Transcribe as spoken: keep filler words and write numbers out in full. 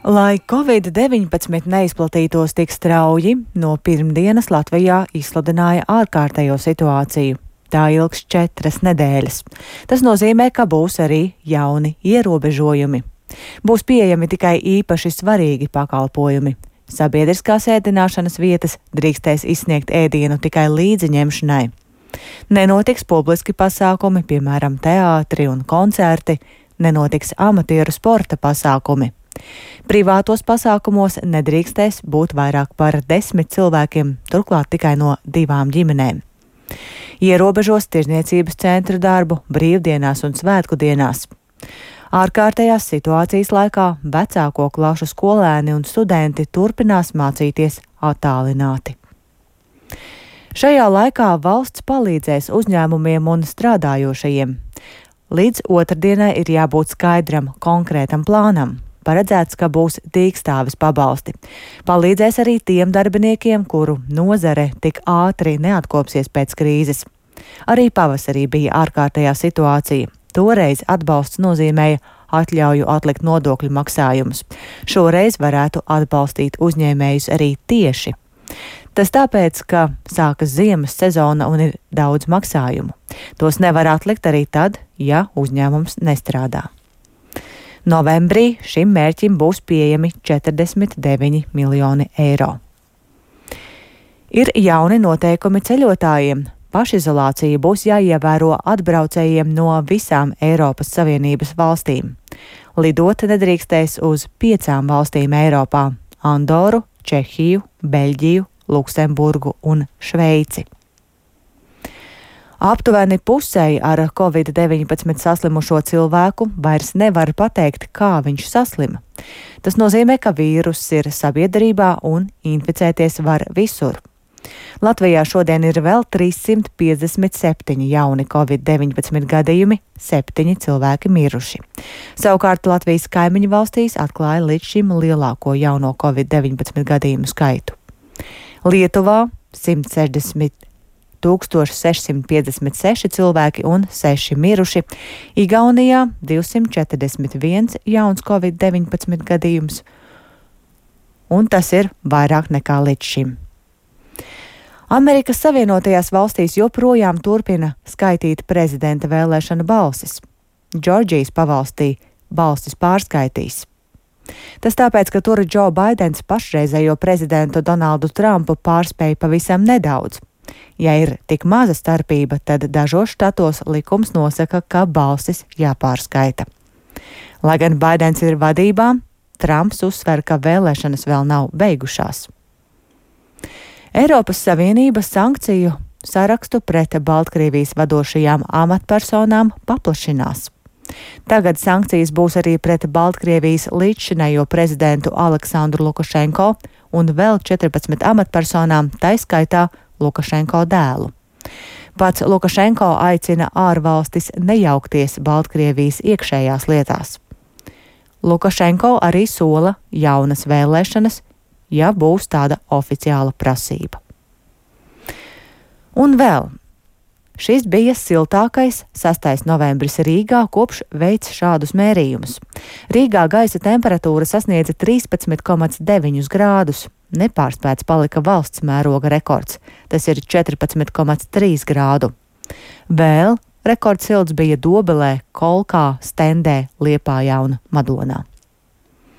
Lai covid deviņpadsmit neizplatītos tik strauji, no pirmdienas Latvijā izsludināja ārkārtējo situāciju. Tā ilgs četras nedēļas. Tas nozīmē, ka būs arī jauni ierobežojumi. Būs pieejami tikai īpaši svarīgi pakalpojumi. Sabiedriskās ēdināšanas vietas drīkstēs izsniegt ēdienu tikai līdziņemšanai. Nenotiks publiski pasākumi, piemēram, teātri un koncerti, nenotiks amatieru sporta pasākumi. Privātos pasākumos nedrīkstēs būt vairāk par desmit cilvēkiem, turklāt tikai no divām ģimenēm. Ierobežos tirzniecības centru darbu brīvdienās un svētku dienās. Ārkārtējās situācijas laikā vecāko klašu skolēni un studenti turpinās mācīties attālināti. Šajā laikā valsts palīdzēs uzņēmumiem un strādājošajiem. Līdz otrdienai ir jābūt skaidram, konkrētam plānam. Paredzēts, ka būs dīkstāves pabalsti. Palīdzēs arī tiem darbiniekiem, kuru nozare tik ātri neatkopsies pēc krīzes. Arī pavasarī bija ārkārtējā situācija. Toreiz atbalsts nozīmēja atļauju atlikt nodokļu maksājumus. Šoreiz varētu atbalstīt uzņēmējus arī tieši. Tas tāpēc, ka sākas ziemas sezona un ir daudz maksājumu. Tos nevar atlikt arī tad, ja uzņēmums nestrādā. Novembrī šim mērķim būs pieejami četrdesmit deviņi miljoni eiro. Ir jauni noteikumi ceļotājiem. Pašizolācija būs jāievēro atbraucējiem no visām Eiropas Savienības valstīm. Lidot nedrīkstēs uz piecām valstīm Eiropā – Andoru, Čehiju, Beļģiju, Luksemburgu un Šveici. Aptuveni pusei ar covid deviņpadsmit saslimušo cilvēku vairs nevar pateikt, kā viņš saslima. Tas nozīmē, ka vīruss ir sabiedrībā un inficēties var visur. Latvijā šodien ir vēl trīssimt piecdesmit septiņi jauni covid deviņpadsmit gadījumi, septiņi cilvēki miruši. Savukārt Latvijas kaimiņu valstīs atklāja līdz šim lielāko jauno covid deviņpadsmit gadījumu skaitu. Lietuvā simt sešdesmit tūkstoši sešsimt piecdesmit seši cilvēki un seši miruši, Igaunijā divsimt četrdesmit viens jauns covid deviņpadsmit gadījums, un tas ir vairāk nekā līdz šim. Amerikas Savienotajās valstīs joprojām turpina skaitīt prezidenta vēlēšana balsis. Džordžijas pavalstī balsis pārskaitīs. Tas tāpēc, ka tur Džo Baidens pašreizējo prezidentu Donaldu Trumpu pārspēja pavisam nedaudz. Ja ir tik maza starpība, tad dažos štatos likums nosaka, ka balsis jāpārskaita. Lai gan Baidens ir vadībā, Trumps uzsver, ka vēlēšanas vēl nav beigušās. Eiropas Savienība sankciju sarakstu pret Baltkrievijas vadošajām amatpersonām paplašinās. Tagad sankcijas būs arī pret Baltkrievijas līdzšinējo prezidentu Aleksandru Lukašenko un vēl četrpadsmit amatpersonām, tai skaitā Lukašenko dēlu. Pats Lukašenko aicina ārvalstis nejaukties Baltkrievijas iekšējās lietās. Lukašenko arī sola jaunas vēlēšanas, ja būs tāda oficiāla prasība. Un vēl. Šis bija siltākais sastais novembris Rīgā, kopš veic šādus mērījumus. Rīgā gaisa temperatūra sasniedza trīspadsmit komats deviņus grādus. Nepārspēts palika valsts mēroga rekords. Tas ir četrpadsmit komats trīs grādu. Vēl rekords silts bija Dobelē, Kolkā, Stendē, Liepājā un Madonā.